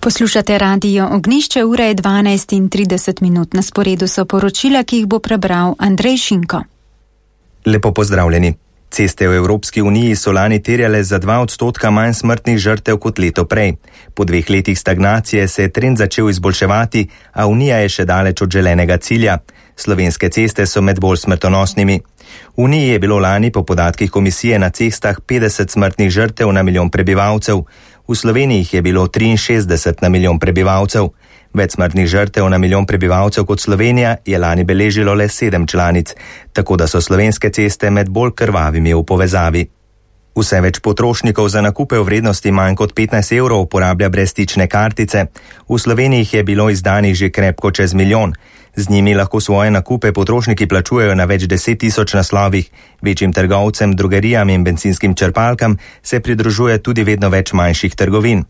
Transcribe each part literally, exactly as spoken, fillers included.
Poslušate radio Ognišče, ura je dvanajst in trideset minut. Na sporedu so poročila, ki jih bo prebral Andrej Šinko. Lepo pozdravljeni. Ceste v Evropski uniji so lani terjale za dva odstotka manj smrtnih žrtev kot leto prej. Po dveh letih stagnacije se je trend začel izboljševati, a Unija je še daleč od želenega cilja. Slovenske ceste so med bolj smrtonosnimi. V Uniji je bilo lani po podatkih komisije na cestah petdeset smrtnih žrtev na milijon prebivalcev. V Sloveniji jih je bilo triinšestdeset na milijon prebivalcev. Več smrtnih žrtev na milijon prebivalcev kot Slovenija je lani beležilo le sedem članic, tako da so slovenske ceste med bolj krvavimi v povezavi. Vse več potrošnikov za nakupe v vrednosti manj kot petnajst evrov uporablja brezstične kartice. V Sloveniji jih je bilo izdanih že krepko čez milijon. Z njimi lahko svoje nakupe potrošniki plačujejo na več deset tisoč naslovih. Večjim trgovcem, drogerijam in benzinskim črpalkam se pridružuje tudi vedno več manjših trgovin.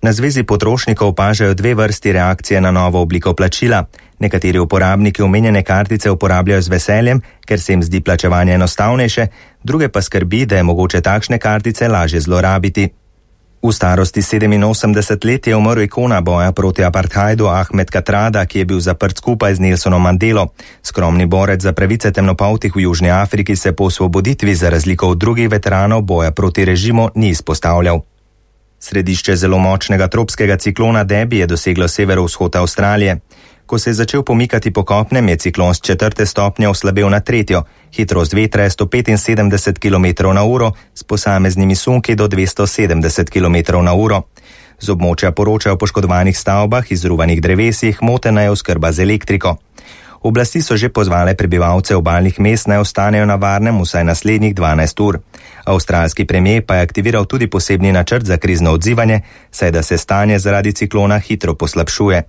Na Zvezi potrošnikov opažajo dve vrsti reakcije na novo obliko plačila. Nekateri uporabniki omenjene kartice uporabljajo z veseljem, ker se jim zdi plačevanje enostavnejše, druge pa skrbi, da je mogoče takšne kartice lažje zlorabiti. V starosti sedeminosemdeset let je umrl ikona boja proti apartheidu Ahmed Katrada, ki je bil zaprt skupaj z Nelsonom Mandelo. Skromni borec za pravice temnopoltih v Južni Afriki se po osvoboditvi za razliko od drugih veteranov boja proti režimu ni izpostavljal. Središče zelo močnega tropskega ciklona Debbie je doseglo severovzhod Avstralije. Ko se je začel pomikati po kopnem, je ciklon s četrte stopnje oslabel na tretjo. Hitrost vetra je sto petinsedemdeset kilometrov na uro, s posameznimi sunki do dvesto sedemdeset kilometrov na uro. Z območja poročajo o poškodovanih stavbah, izruvanih drevesih, motena je oskrba z elektriko. Oblasti so že pozvale prebivalce obalnih mest naj ostanejo na varnem vsaj naslednjih dvanajst ur. Avstralski premier pa je aktiviral tudi posebni načrt za krizno odzivanje, saj da se stanje zaradi ciklona hitro poslabšuje.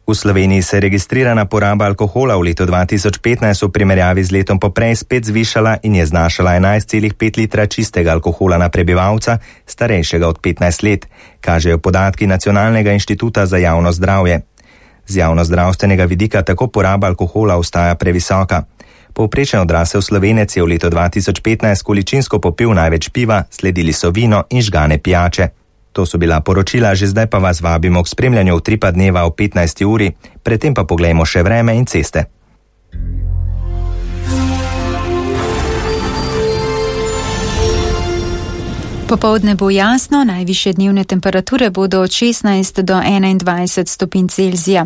V Sloveniji se je registrirana poraba alkohola v letu dva tisoč petnajst v primerjavi z letom poprej spet zvišala in je znašala enajst celih pet litra čistega alkohola na prebivalca, starejšega od petnajst let, kažejo podatki Nacionalnega inštituta za javno zdravje. Z javnozdravstvenega vidika tako poraba alkohola ostaja previsoka. Povprečen odrasel Slovenec je v letu dva tisoč petnajst količinsko popil največ piva, sledili so vino in žgane pijače. To so bila poročila, že zdaj pa vas vabimo k spremljanju Utripa dneva o petnajsti uri, predtem pa poglejmo še vreme in ceste. Popoldne bo jasno, najvišje dnevne temperature bodo od šestnajst do enaindvajset stopinj Celzija.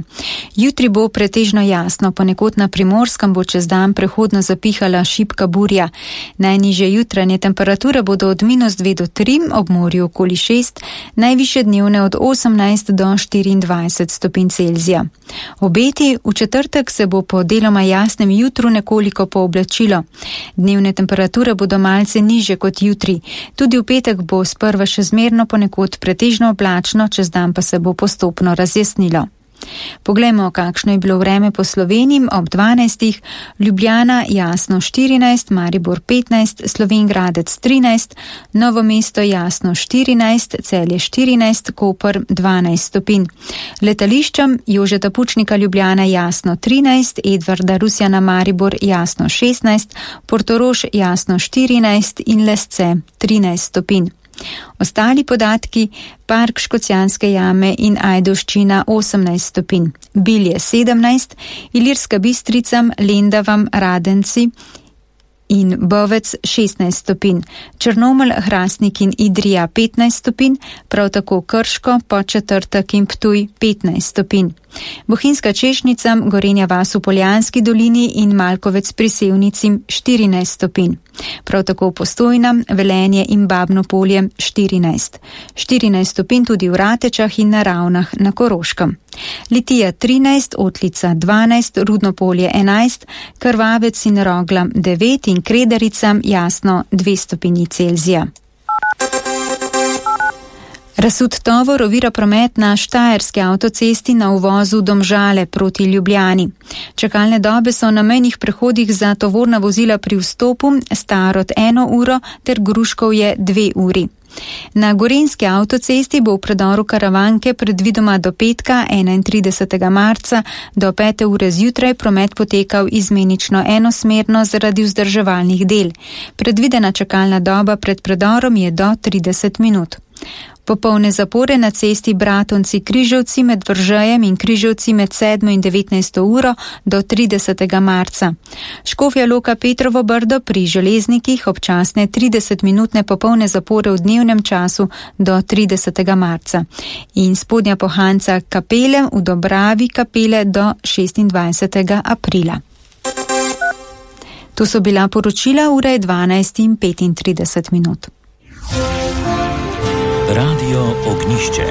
Jutri bo pretežno jasno, ponekod na Primorskem bo čez dan prehodno zapihala šibka burja. Najnižje jutranje temperature bodo od minus dve do tri, ob morju okoli šest, najvišje dnevne od osemnajst do štiriindvajset stopinj Celzija. Obeti, v četrtek se bo po deloma jasnem jutru nekoliko pooblačilo. Dnevne temperature bodo malce nižje kot jutri, tudi v petek bo sprva še zmerno, ponekod pretežno oblačno, čez dan pa se bo postopno razjasnilo. Poglejmo, kakšno je bilo vreme po Sloveniji ob dvanajstih. Ljubljana jasno štirinajst, Maribor petnajst, Slovenj Gradec trinajst, Novo mesto jasno štirinajst, Celje štirinajst, Koper dvanajst stopinj. Letališčem Jožeta Pučnika Ljubljana jasno trinajst, Edvarda Rusjana Maribor jasno šestnajst, Portorož jasno štirinajst in Lesce trinajst stopinj. Ostali podatki: Park Škocjanske jame in Ajdovščina osemnajst stopinj, Bilje sedemnajst, Ilirska Bistrica, Lendavam, Radenci in Bovec šestnajst stopinj, Črnomelj, Hrastnik in Idrija petnajst stopinj, prav tako Krško, Podčetrtek in Ptuj petnajst stopinj. Bohinjska Češnica, Gorenja vas v Poljanski dolini in Malkovec pri Sevnici štirinajst stopinj. Prav tako Postojna, Velenje in Babno Polje štirinajst. štirinajst stopinj tudi v Ratečah in na Ravnah na Koroškem. Litija trinajst, Otlica dvanajst, Rudno Polje enajst, Krvavec in Rogla devet in Kredarica jasno dve stopinji Celzija. Razsut tovor ovira promet na Štajerski avtocesti na uvozu Domžale proti Ljubljani. Čakalne dobe so na mejnih prehodih za tovorna vozila pri vstopu Starod eno uro ter Gruškovje dve uri. Na Gorenjski avtocesti bo v predoru Karavanke predvidoma do petka enaintridesetega marca do pete ure zjutraj promet potekal izmenično enosmerno zaradi vzdrževalnih del. Predvidena čakalna doba pred predorom je do trideset minut. Popolne zapore na cesti Bratonci-Križevci med Vržejem in Križevci med sedmo in devetnajsto uro do tridesetega marca. Škofja Loka Petrovo Brdo pri železnikih občasne tridesetminutne popolne zapore v dnevnem času do tridesetega marca. In Spodnja Pohanca Kapele v Dobravi Kapele do šestindvajsetega aprila. To so bila poročila, ura je dvanajst in petintrideset minut. Radio Ognišče.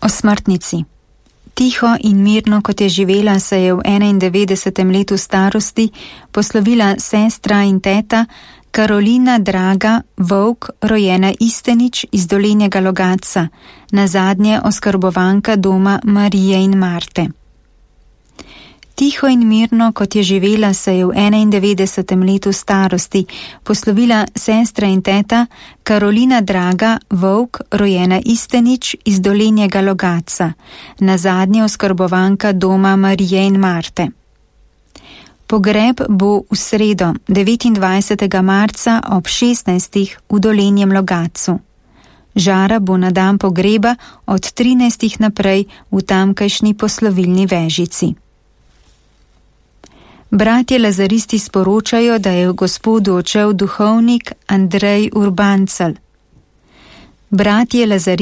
O smrtnici. Tiho in mirno, kot je živela, se je v enaindevetdesetem letu starosti poslovila sestra in teta Karolina Draga Vovk, rojena Istenič iz Dolenjega Logatca, nazadnje oskrbovanka doma Marije in Marte. Tiho in mirno, kot je živela, se je v enaindevetdesetem letu starosti poslovila sestra in teta Karolina Draga Vovk, rojena Istenič iz Dolenjega Logatca, nazadnje oskrbovanka doma Marije in Marte. Pogreb bo v sredo, devetindvajsetega marca ob šestnajstih v Dolenjem Logatcu. Žara bo na dan pogreba od trinajstih naprej v tamkajšnji poslovilni vežici. Bratje lazaristi sporočajo, da je v Gospodu odšel duhovnik Andrej Urbancel. Bratje lazaristi